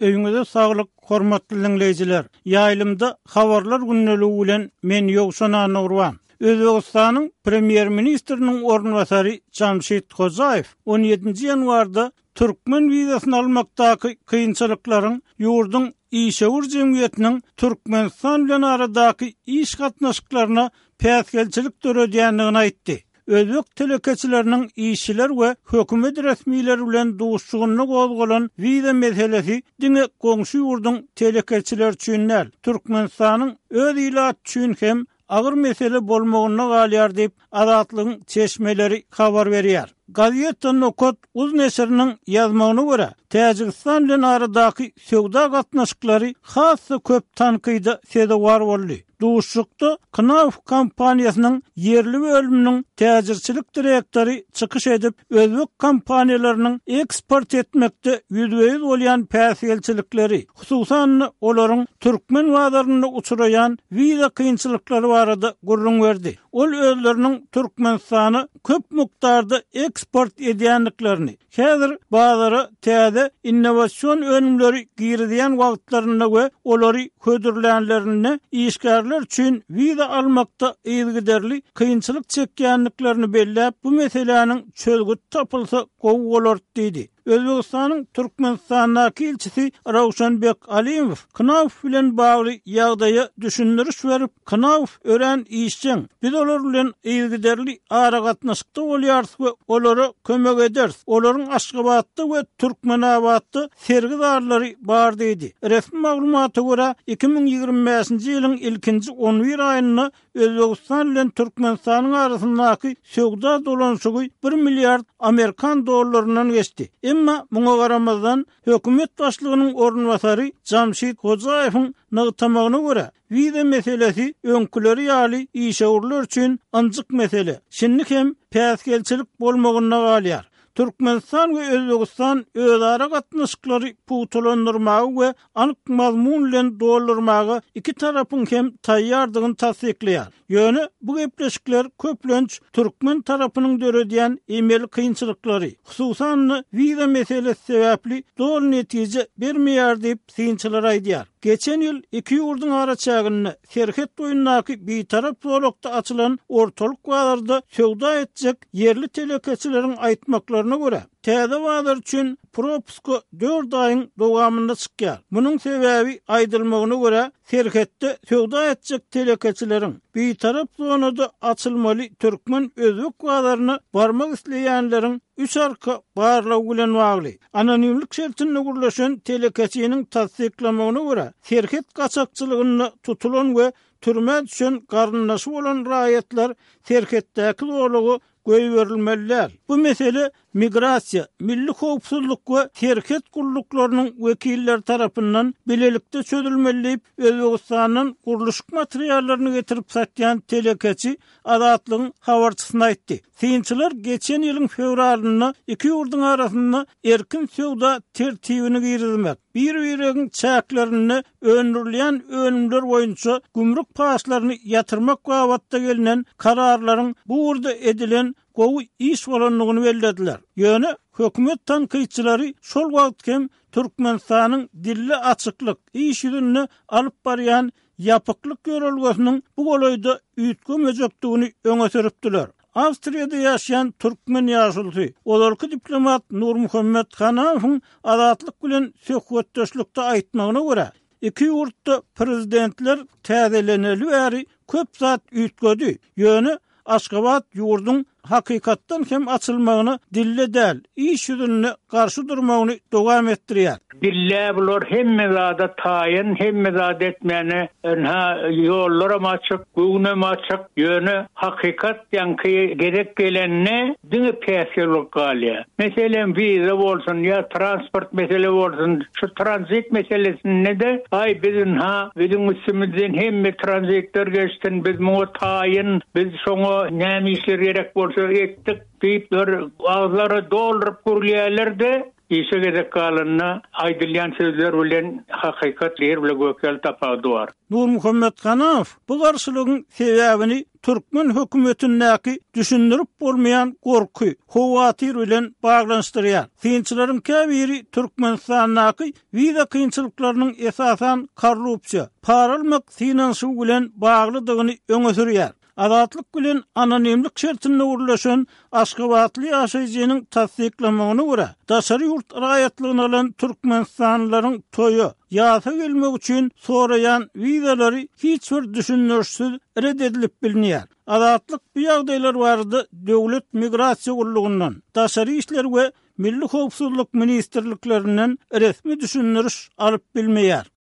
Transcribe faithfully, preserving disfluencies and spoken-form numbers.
Öýüňize saglyk, hormatly diňleýjiler. Ýaýlymda habarlar gündeligi bilen men Ýowşan Annagurban. Özbegistanyň Premýer-ministriniň orunbasary Jamşid Hojaýew on ýedinji ýanwarda türkmen wizasyny almakdaky kynçylyklaryň ýurduň işewür jemgyýetiniň Türkmenistan bilen aradaky iş gatnaşyklaryna päsgelçilik döredýändigini aýtdy. Özbek telekeçileriniň işçiler we hökümet resmileri bilen duşuşygynda gozgalan wiza meselesi diňe goňşy ýurduň telekeçileri üçin däl, Türkmenistanyň öz ilaty üçin hem agyr mesele bolmagynda galýar diýip, Azatlygyň çeşmeleri habar berýär. Gazeta Nokat uz neşiriniň ýazmagyna görä, Täjigistan bilen aradaky söwda gatnaşyklary has-da köp tankyda sezewar boldy. Duşuşykda Knauf kompaniýasynyň ýerli bölüminiň täjirçilik direktory çykyş edip, özbek kompaniýalarynyň eksport etmekde ýüzbe-ýüz bolýan päsgelçilikleri, hususan-da olaryň türkmen bazarynda uçraýan wiza kynçylyklary barada gürrüň berdi. Ol özleriniň Türkmenistana köp mukdarda eksport edýändiklerini, häzir bazara täze innowasion önümleri girizýän wagtlarynda we olary hödürlänlerinde işgärler üçin wiza almakda yzygiderli kynçylyk çekýändiklerini belläp, bu meseläniň çözgüt tapylsa gowy bolar diýdi. Özbegistanyň Türkmenistandaky ilçisi Rawşanbek Alimow Knauf bilen bagly ýagdaýa düşündiriş berip, Knauf örän işjeň, biz olar bilen yzygiderli aragatnaşykda bolýarys we olara kömek ederis. Olaryň Aşgabatda we Türkmenabatda sergi zallary bar diýdi. Resmi maglumata görä, iki müň ýigrimi bäşinji ýylyň ilkinji on bir aýynda Özbegistan bilen Türkmenistanyň arasyndaky söwda dolanyşygy bir milliard amerikan dollaryndan geçdi. Emma muňa garamazdan, hökümet başlygynyň orunbasary Jamşid Hojaýewiň nygtamagyna görä, wiza meselesi öňküleri ýaly işewürler üçin ynjyk mesele, şindi hem päsgelçilik bolmagynda galýar. Türkmenistan we Özbegistan özara gatnaşyklary pugtalandyrmaga we anyk mazmun bilen doldurmaga iki tarapyň hem taýýardygyny tassyklaýar. Ýöne bu gepleşikler köplenç türkmen tarapynyň döredýän emeli kynçylyklary, hususan-da wiza meselesi sebäpli doly netije bermeýär diýip, synçylar aýdýar. Geçen ýyl iki ýurduň araçäginde serhet boýundaky bitarap zolakda açylan ortalyk bazarda söwda etjek ýerli telekeçileriň aýtmaklaryna görä, täze bazar üçin propuska dört aýyň dowamynda çykýar. Munuň sebäbi aýdylmagyna görä, serhetde söwda etjek telekeçileriň bitarap zonada açylmaly türkmen-özbek bazaryna barmak isleýänleriň üç arka barlagy bilen bagly. Anonimlik şertinde gürleşen telekeçiniň tassyklamagyna görä, serhet gaçakçylygynda tutulan we türmä düşen garyndaşy bolan raýatlar serhetdäki zolaga goýberilmeli däl. Bu mesele migrasiýa, milli howpsuzlyk we serhet gulluklarynyň wekilleri tarapyndan bilelikde çözülmeli diýip, Özbegistandan gurluşyk materiallaryny getirip satýan telekeçi Azatlygyň habarçysyna aýtdy. Synçylar geçen ýylyň fewralynda iki ýurduň arasynda erkin söwda tertibini girizmek, bir-biregiň çäklerinde öndürilýän önümler boýunça gümrük paçlaryny ýatyrmak babatda gelnen kararlaryň bu ugurda edilen gowy iş bolandygyny bellediler. Ýöne hökümet tankytçylary şol wagt hem Türkmenistanyň dilli açyklyk, iş ýüzünde alyp barýan ýapyklyk ýörelgesiniň bu golaýda üýtgemejekdigini öňe sürüpdiler. Awstriýada ýaşaýan türkmen ýaşulusy, ozalky diplomat Nurmuhammet Hanamowyň Azatlyk bilen söhbetdeşlikde aýtmagyna görä, iki ýurtda prezidentler täzeleneli bäri köp zat üýtgedi, ýöne Aşgabat ýurduň hakykatdan hem açylmagyna dilde däl, iş ýüzünde garşy durmagyny dowam etdirýär. Dille bular hemme zada taýyn, hemme zat etmäne, ynha ýollaram açyk, göwnem açyk, ýöne hakykat ýaňky gezek gelende diňe päsgellik galýar. Meselem, wiza bolsun ýa transport mesele bolsun, şu tranzit meselesinde de aý biz ynha biziň üstümizden hemme tranzitler geçsin, biz muňa taýyn, biz şoňa näme işler gerek bolsa etdik diýip bir agzlary dolduryp gürlýärler-de, işe gezek galanda aýdylýan sözler bilen hakykat ýer bilen gök ýaly tapawudy bar. Nurmuhammet Hanamow bu garşylygyň sebäbini türkmen hökümetindäki düşündirip bolmaýan gorky, howatyr bilen baglanyşdyrýar. Synçylaryň käbiri Türkmenistandaky wiza kynçylyklarynyň esasan korrupsiýa, para almak synanyşygy bilen baglydygyny öňe sürýär. Azatlyk bilen anonimlik şertinde gürleşen Aşgabatly ýaşaýjynyň tassyklamagyna görä, daşary ýurt raýatlygyny alan türkmenistanlylaryň toýa, ýasa gelmek üçin soraýan wizalary hiç bir düşündirişsiz red edilip bilinýär. Azatlyk bu ýagdaýlar barada Döwlet migrasiýa gullugyndan, Daşary işler we Milli howpsuzlyk ministrliklerinden resmi düşündiriş alyp bilmeýär.